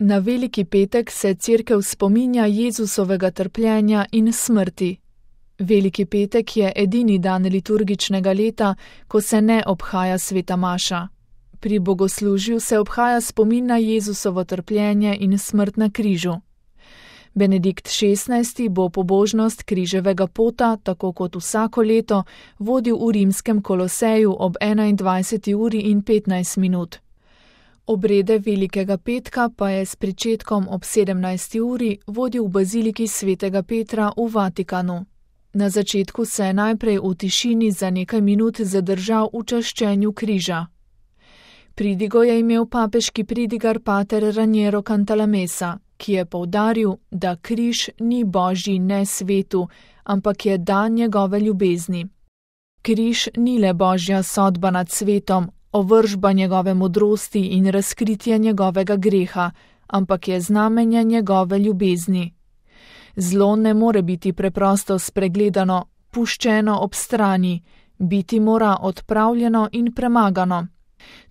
Na Veliki petek se Cerkev spominja Jezusovega trpljenja in smrti. Veliki petek je edini dan liturgičnega leta, ko se ne obhaja sveta maša. Pri bogoslužju se obhaja spomin na Jezusovo trpljenje in smrt na križu. Benedikt XVI. Bo pobožnost križevega pota, tako kot vsako leto, vodil v rimskem Koloseju ob 21:15. Obrede Velikega petka pa je s pričetkom ob 17. uri vodil v baziliki svetega Petra v Vatikanu. Na začetku se je najprej v tišini za nekaj minut zadržal v čaščenju križa. Pridigo je imel papeški pridigar pater Raniero Cantalamessa, ki je poudaril, da križ ni božji ne svetu, ampak je dan njegove ljubezni. Križ ni le božja sodba nad svetom, ovržba njegove modrosti in razkritje njegovega greha, ampak je znamenje njegove ljubezni. Zlo ne more biti preprosto spregledano, puščeno ob strani, biti mora odpravljeno in premagano.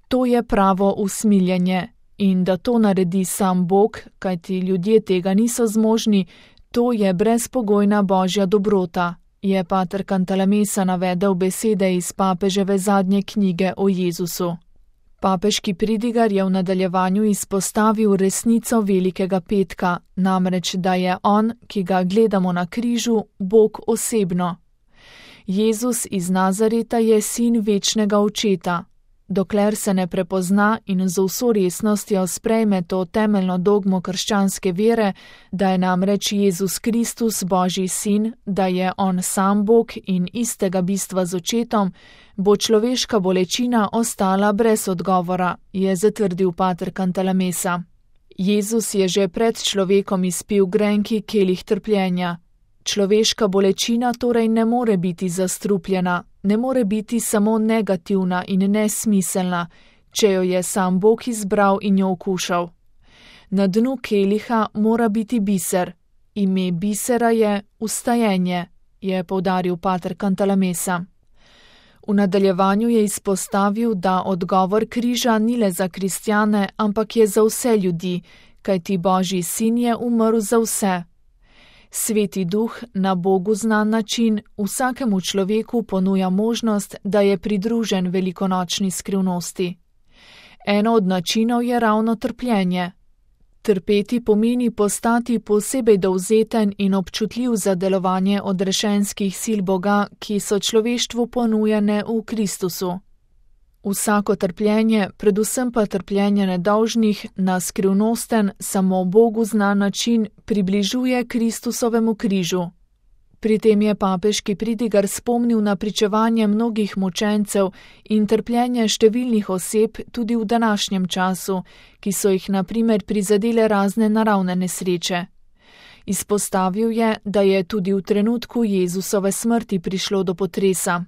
To je pravo usmiljenje, in da to naredi sam Bog, kajti ljudje tega niso zmožni, to je brezpogojna božja dobrota, je pater Cantalamessa navedel besede iz papeževe zadnje knjige o Jezusu. Papeški pridigar je v nadaljevanju izpostavil resnico Velikega petka, namreč da je on, ki ga gledamo na križu, Bog osebno. Jezus iz Nazareta je sin večnega očeta. Dokler se ne prepozna in z vso resnostjo sprejme to temeljno dogmo krščanske vere, da je namreč Jezus Kristus Božji sin, da je on sam Bog in istega bistva z očetom, bo človeška bolečina ostala brez odgovora, je zatrdil pater Cantalamessa. Jezus je že pred človekom izpil grenki kelih trpljenja. Človeška bolečina torej ne more biti zastrupljena, ne more biti samo negativna in nesmiselna, če jo je sam Bog izbral in jo okušal. Na dnu keliha mora biti biser. Ime bisera je vstajenje, je poudaril pater Cantalamessa. V nadaljevanju je izpostavil, da odgovor križa ni le za kristjane, ampak je za vse ljudi, kajti Božji sin je umrl za vse. Sveti duh na Bogu znan način vsakemu človeku ponuja možnost, da je pridružen velikonočni skrivnosti. Eno od načinov je ravno trpljenje. Trpeti pomeni postati posebej dovzeten in občutljiv za delovanje odrešenskih sil Boga, ki so človeštvu ponujene v Kristusu. Vsako trpljenje, predvsem pa trpljenje nedolžnih, na skrivnosten, samo Bogu znan način približuje Kristusovemu križu. Pri tem je papeški pridigar spomnil na pričevanje mnogih mučencev in trpljenje številnih oseb tudi v današnjem času, ki so jih na primer prizadele razne naravne nesreče. Izpostavil je, da je tudi v trenutku Jezusove smrti prišlo do potresa.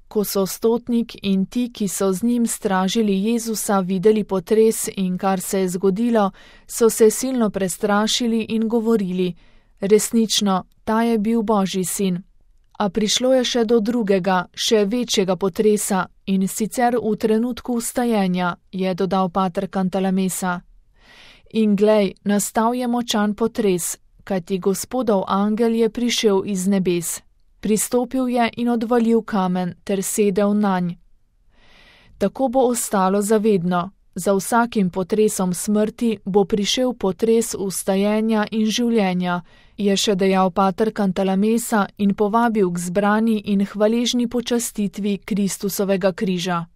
Ko so stotnik in ti, ki so z njim stražili Jezusa, videli potres in kar se je zgodilo, so se silno prestrašili in govorili: resnično, ta je bil Božji sin. A prišlo je še do drugega, še večjega potresa in sicer v trenutku vstajenja, je dodal pater Cantalamessa. In glej, nastal je močan potres, kajti Gospodov angel je prišel iz nebes. Pristopil je in odvalil kamen ter sedel nanj. Tako bo ostalo zavedno. Za vsakim potresom smrti bo prišel potres vstajenja in življenja, je še dejal pater Cantalamessa in povabil k zbrani in hvaležni počastitvi Kristusovega križa.